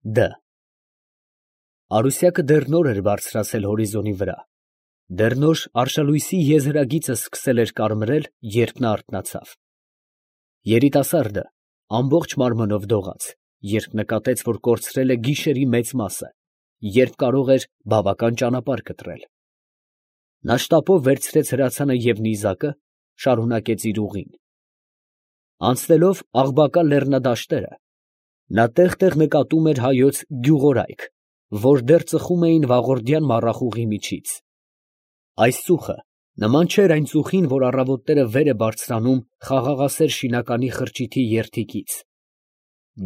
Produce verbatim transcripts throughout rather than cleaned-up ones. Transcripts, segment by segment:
Դ Արուսյակը դեռ նոր էր բարձրացել հորիզոնի վրա, դեռ նոր արշալույսի եզերագիծը սկսել էր կարմրել, երբ նա արթնացավ. երիտասարդը ամբողջ մարմնով դողաց, երբ նկատեց, որ կորցրել է գիշերի մեծ մասը, երբ կարող էր բավական ճանապարհ կտրել. նա շտապով վերցրեց հրացանը և նիզակը, շարունակեց իր ուղին. անցնելով Աղբակա լեռնադաշտերը, նա տեղ֊տեղ նկատում էր հայոց գյուղորայք, որ դեռ ծխում էին վաղորդյան մառախուղի միջից. այս ծուխը նման չէր այն ծուխին, որ առավոտները վեր է բարձրանում խաղաղասեր շինականի խրճիթի երդիքից.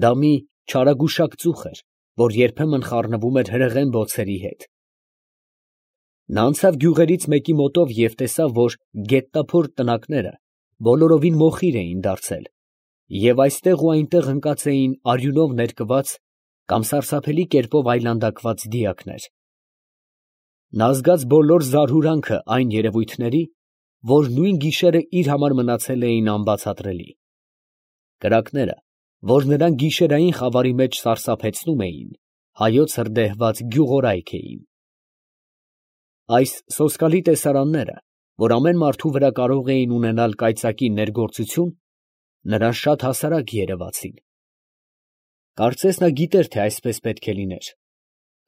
դա մի չարագուշակ ծուխ էր, որ երբեմն խառնվում էր հրեղեն բոցերի հետ. նա անցավ գյուղերից մեկի մոտով և տեսավ, որ գետնափոր տնակները բոլորովին մոխիր էին դարձել, և այստեղ ու այնտեղ ընկած էին արյունով ներկված կամ սարսափելի կերպով այլանդակված դիակներ. նա զգաց բոլոր զարհուրանքը այն երևույթների, որ նույն գիշերը իր համար մնացել էին անբացատրելի. կրակները, որ նրան գիշերային խավարի մեջ սարսափեցնում էին, հայոց հրդեհված գյուղորայք էին. այս սոսկալի տեսարանները, որ ամեն մարդու վրա կարող էին ունենալ կայծակի ներգործություն, նրան շատ հասարակ երևացին. կարծես նա գիտեր, թե այսպես պետք է լիներ.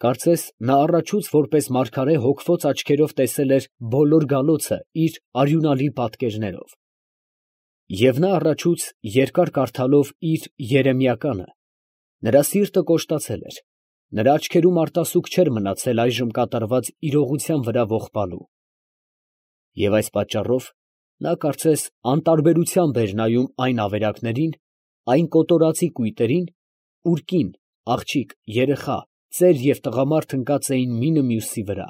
կարծես նա առաջուց որպես մարգարե հոգվոց աչքերով տեսել էր բոլոր գալոցը իր արյունալի պատկերներով. և նա առաջուց երկար կարդալով իր երեմիականը, նրա սիրտը կոշտացել էր, նրա աչքերում արտասուք չէր մնացել այժմ կատարված իրողության վրա ողբալու. և այս պատճառով նա կարծես անտարբերությամբ էր նայում այն ավերակներին, այն կոտորածի կույտերին, ուր կին, աղջիկ, երեխա, ծեր և տղամարդ ընկած էին մինը մյուսի վրա.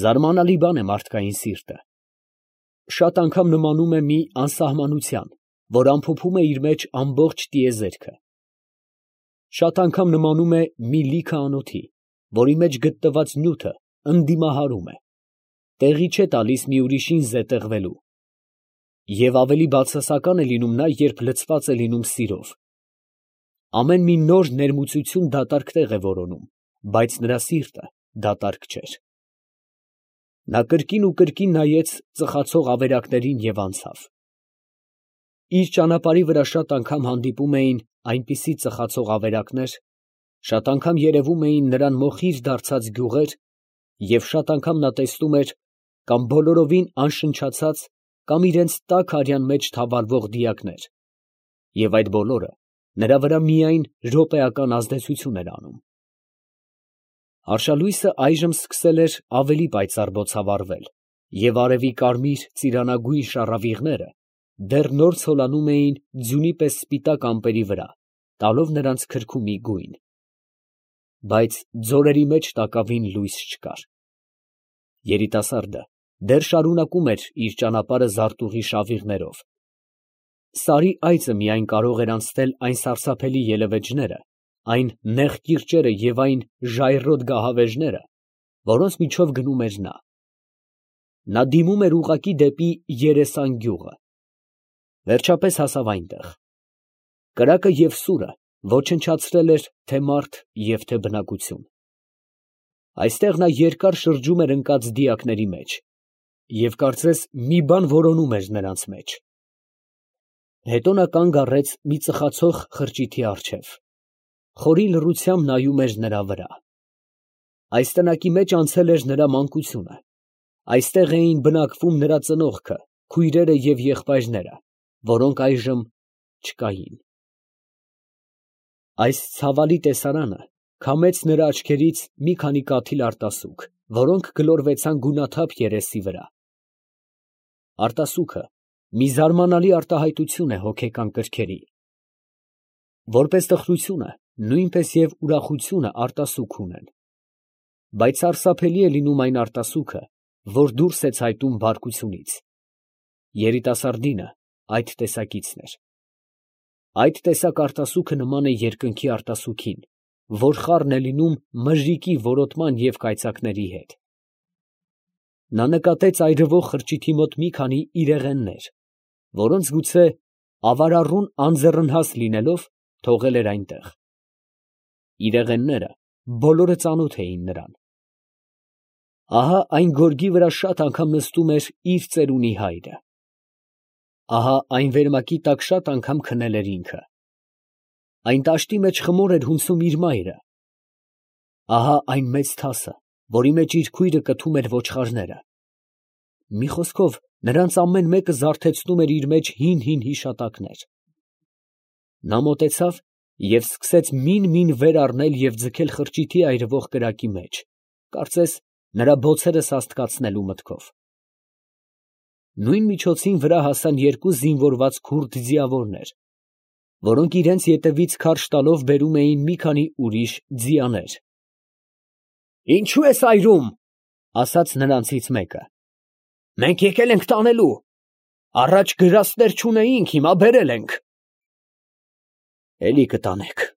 զարմանալի բան է մարդկային սիրտը. շատ անգամ նմանում է մի անսահմանության, որ ամփոփում է իր մեջ ամբողջ տիեզերքը. շատ անգամ նմանում է մի լիքը անոթի, որի մեջ գտնված նյութը ընդդիմահարում է, տեղի չէ տալիս մի ուրիշին զետեղվելու. և ավելի բացասական է լինում նա, երբ լցված է լինում սիրով. ամեն մի նոր ներմուծություն դատարկ տեղ է որոնում, բայց նրա սիրտը դատարակ չէր. նա կրկին ու կրկին նայեց ծխացող ավերակներին և անցավ. իր ճանապարհի վրա շատ անգամ հանդիպում էին այնպիսի ծխացող ավերակներ, շատ անգամ երևում էին նրան մոխիր դարձած գյուղեր, և շատ անգամ նա տեսնում էր կամ բոլորովին անշնչացած, կամ իրանց տաք արյան մեջ թավալվող դիակներ, և այդ բոլորը նրա վրա միայն րոպեական ազդեցություն էր անում. արշալույսը այժմ սկսել էր ավելի պայծառ բոցավառվել, և արևի կարմիր ծիրանագույն շառավիղները դեռ նոր ցոլանում էին ձյունի պես սպիտակ ամպերի վրա, տալով նրանց քրքումի գույն. բայց ձորերի մեջ տակավին լույս չկար. երիտասարդը դեռ շարունակում էր իր ճանապարհը զարտուղի շավիղներով. սարի այծը միայն կարող էր անցնել այն սարսափելի ելևէջները, այն նեղ կիրճերը և այն ժայռոտ գահավեժները, որոնց միջով գնում էր նա. նա դիմում էր ուղղակի դեպի Երեսան գյուղը. վերջապես հասավ այնտեղ. կրակը և սուրը ոչնչացրել էր թե մարդ և թե բնակություն. այստեղ նա երկար շրջում էր ընկած դիակների մեջ, և կարծես մի բան որոնում էր նրանց մեջ. հետո նա կանգ առեց մի ծխացող խրճիթի առջև, խորին լռությամբ նայում էր նրա վրա. այս տնակի մեջ անցել էր նրա մանկությունը, այստեղ էին բնակվում նրա ծնողքը, քույրերը և եղբայրները, որոնք այժմ չկային. այս ցավալի տեսարանը քամեց նրա աչքերից մի քանի կաթիլ արտասուք, որոնք գլորվեցան գունաթափ երեսի վրա. արտասուքը մի զարմանալի արտահայտություն է հոգեկան կրքերի. որպես տխրությունը, նույնպես և ուրախությունը արտասուք ունեն. բայց սարսափելի է լինում այն արտասուքը, որ դուրս է ցայտում բարկությունից. երիտասարդինը այդ տեսակիցն էր. այդ տեսակ արտասուքը նման է երկնքի արտասուքին, որ խառն է լինում մրրիկի որոտման և կայծակների հետ. նա նկատեց այրվող խրճիթի մոտ մի քանի իրեղեններ, որոնց գուցե ավարառուն անձեռնհաս լինելով, թողել էր այնտեղ. իրեղենները բոլորը ծանոթ էին նրան։ Ահա այն գորգի վրա շատ անգամ նստում էր իր ծերունի հայրը։ Ահա այն վերմակի տակ շատ անգամ քնել էր ինքը։ Այն տաշտի մեջ խմոր էր հունցում իր մայրը։ Ահա այն մեծ թասը, որի մեջ իր քույրը կթում էր ոչխարները։ Մի խոսքով, նրանց ամեն մեկը զարթեցնում էր իր մեջ հին֊հին հիշատակներ։ Նա մոտեցավ և սկսեց մին֊մին վեր առնել և ձգել խրճիթի այրվող կրակի մեջ, կարծես նրա բոցերը սաստկացնելու մտքով։ Նույն միջոցին վրա հասան երկու զինվորված քուրդ ձիավորներ, որոնք իրենց ետևից քարշ տալով բերում էին մի քանի ուրիշ ձիաներ։ «Ինչո՞ւ ես այրում, ֊ ասաց նրանցից մեկը, ֊ մենք եկել ենք տանելու, առաջ գրաստներ չունեինք, հիմա բերել ենք»։ «Էլի կտանեք, ֊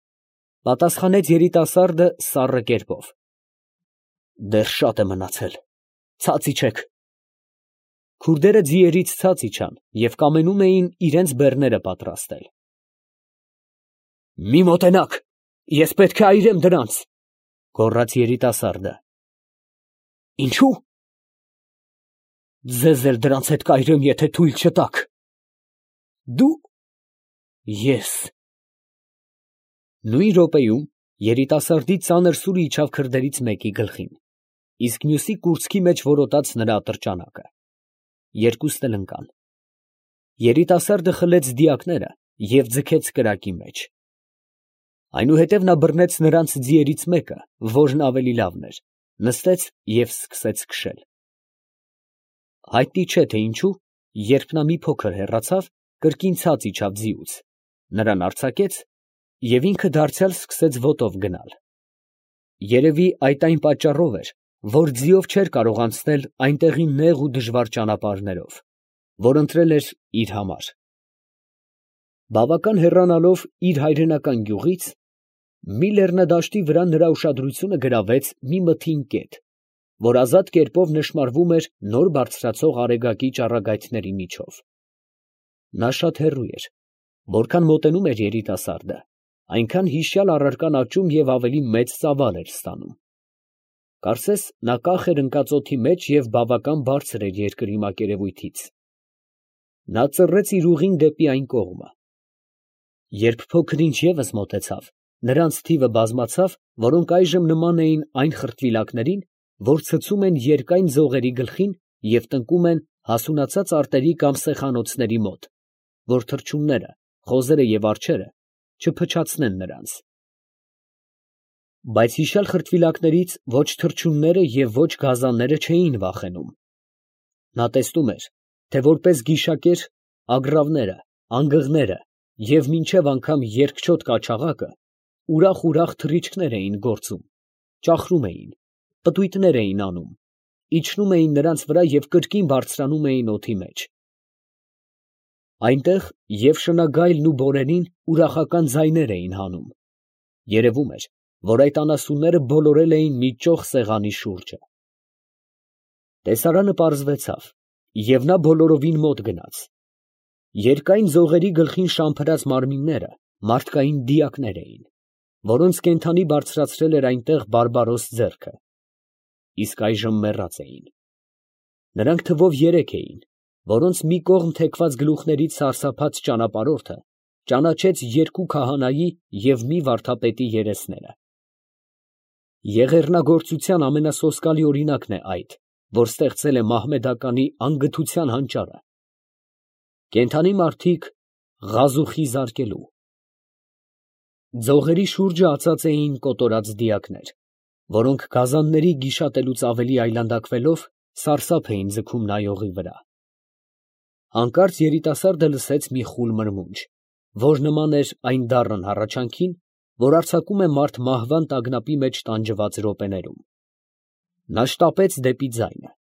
պատասխանեց երիտասարդը սառն կերպով, ֊ դեռ շատ է մնացել, ցած իջեք»։ Քուրդերը ձիերից ցած իջան և կամենում էին իրենց բեռները պատրաստել։ «Մի մոտենաք, ես պետք է այրեմ դրանց, ֊ գոռաց երիտասարդը։ ֊ Ինչո՞ւ։ ֊ Ձեզ էլ դրանց հետ կայրեմ, եթե թույլ չտաք։ ֊ Դու։ ֊ Ես։ Նույն րոպեում երիտասարդի ծանր սուրը իջավ քրդերից մեկի գլխին, իսկ մյուսի կուրծքի մեջ որոտաց նրա ատրճանակը։ Երկուսն էլ ընկան։ Երիտասարդը խլեց դիակները և ձգեց կրակի մեջ։ Այնուհետև նա բռնեց նրանց ձիերից մեկը, որն ավելի լավն էր, նստեց և սկսեց քշել։ Հայտնի չէ, թե ինչու, երբ նա մի փոքր հեռացավ, կրկին ցած իջավ ձիուց, նրան արձակեց և ինքը դարձյալ սկսեց ոտով գնալ։ Երևի այդ այն պատճառով էր, որ ձիով չէր կարող անցնել այնտեղի նեղ ու դժվար ճանապարհներով, որ ընտրել էր իր համար։ Բավական հեռանալով իր հայրենական գյուղից, մի լեռնադաշտի վրա նրա ուշադրությունը գրավեց մի մթին կետ, որ ազատ կերպով նշմարվում էր նոր բարձրացող արեգակի ճառագայթների միջով։ Նա շատ հեռու էր, որքան մոտենում էր երիտասարդը, այնքան հիշյալ առարկան աճում և ավելի մեծ ծավալ էր ստանում։ Կարծես նա կախ էր ընկած օդի մեջ և բավական բարձր էր երկրի մակերևույթից։ Նա ծռեց իր ուղին դեպի այն կողմը։ Երբ փոքր ինչ ևս մոտեցավ, նրանց թիվը բազմացավ, որոնք այժմ նման էին այն խրտվիլակներին, որ ցցում են երկայն ձողերի գլխին և տնկում են հասունացած արտերի կամ սեխանոցների մոտ, որ թռչունները, խոզերը և արջերը չփչացնեն նրանց։ Բայց հիշյալ խրտվիլակներից ոչ թռչունները և ոչ գազանները չէին վախենում։ Նա տեսնում էր, թե որպես գիշակեր ագռավները, անգղները և մինչև անգամ երկչոտ կաչաղակը ուրախ֊ուրախ թռիչքներ էին գործում, ճախրում էին, պտույտներ էին անում, իջնում էին նրանց վրա և կրկին բարձրանում էին օդի մեջ։ Այնտեղ և շնագայլն ու բորենին ուրախական ձայներ էին հանում, երևում էր, որ այդ անասունները բոլորել էին մի ճոխ սեղանի շուրջը։ Տեսարանը պարզվեցավ, և նա բոլորովին մոտ գնաց։ Երկայն ձողերի գլխին շամփրած մարմինները մարդկային դիակներ էին, որոնց կենդանի բարձրացրել էր այնտեղ բարբարոս ձեռքը, իսկ այժմ մեռած էին։ Նրանք թվով երեք էին, որոնց մի կողմ թեքված գլուխներից սարսափած ճանապարհորդը ճանաչեց երկու քահանայի և մի վարդապետի երեսները։ Եղեռնագործության ամենասոսկալի օրինակն է այդ, որ ստեղծել է մահմեդականի անգթության հանճարը։ Կենդանի մարդիկ ղազուխի զարկելու։ Ձողերի շուրջը ածած էին կոտորած դիակներ, որոնք գազանների գիշատելուց ավելի այլանդակվելով սարսափ էին ձգում նայողի վրա։ Հանկարծ երիտասարդը լսեց մի խուլ մրմունջ, որ նման էր այն դառն հառաչանքին, որ արձակում է մարդ մահվան տագնապի մեջ տանջված րոպեներում։ Նա շտապեց դեպի ձայնը։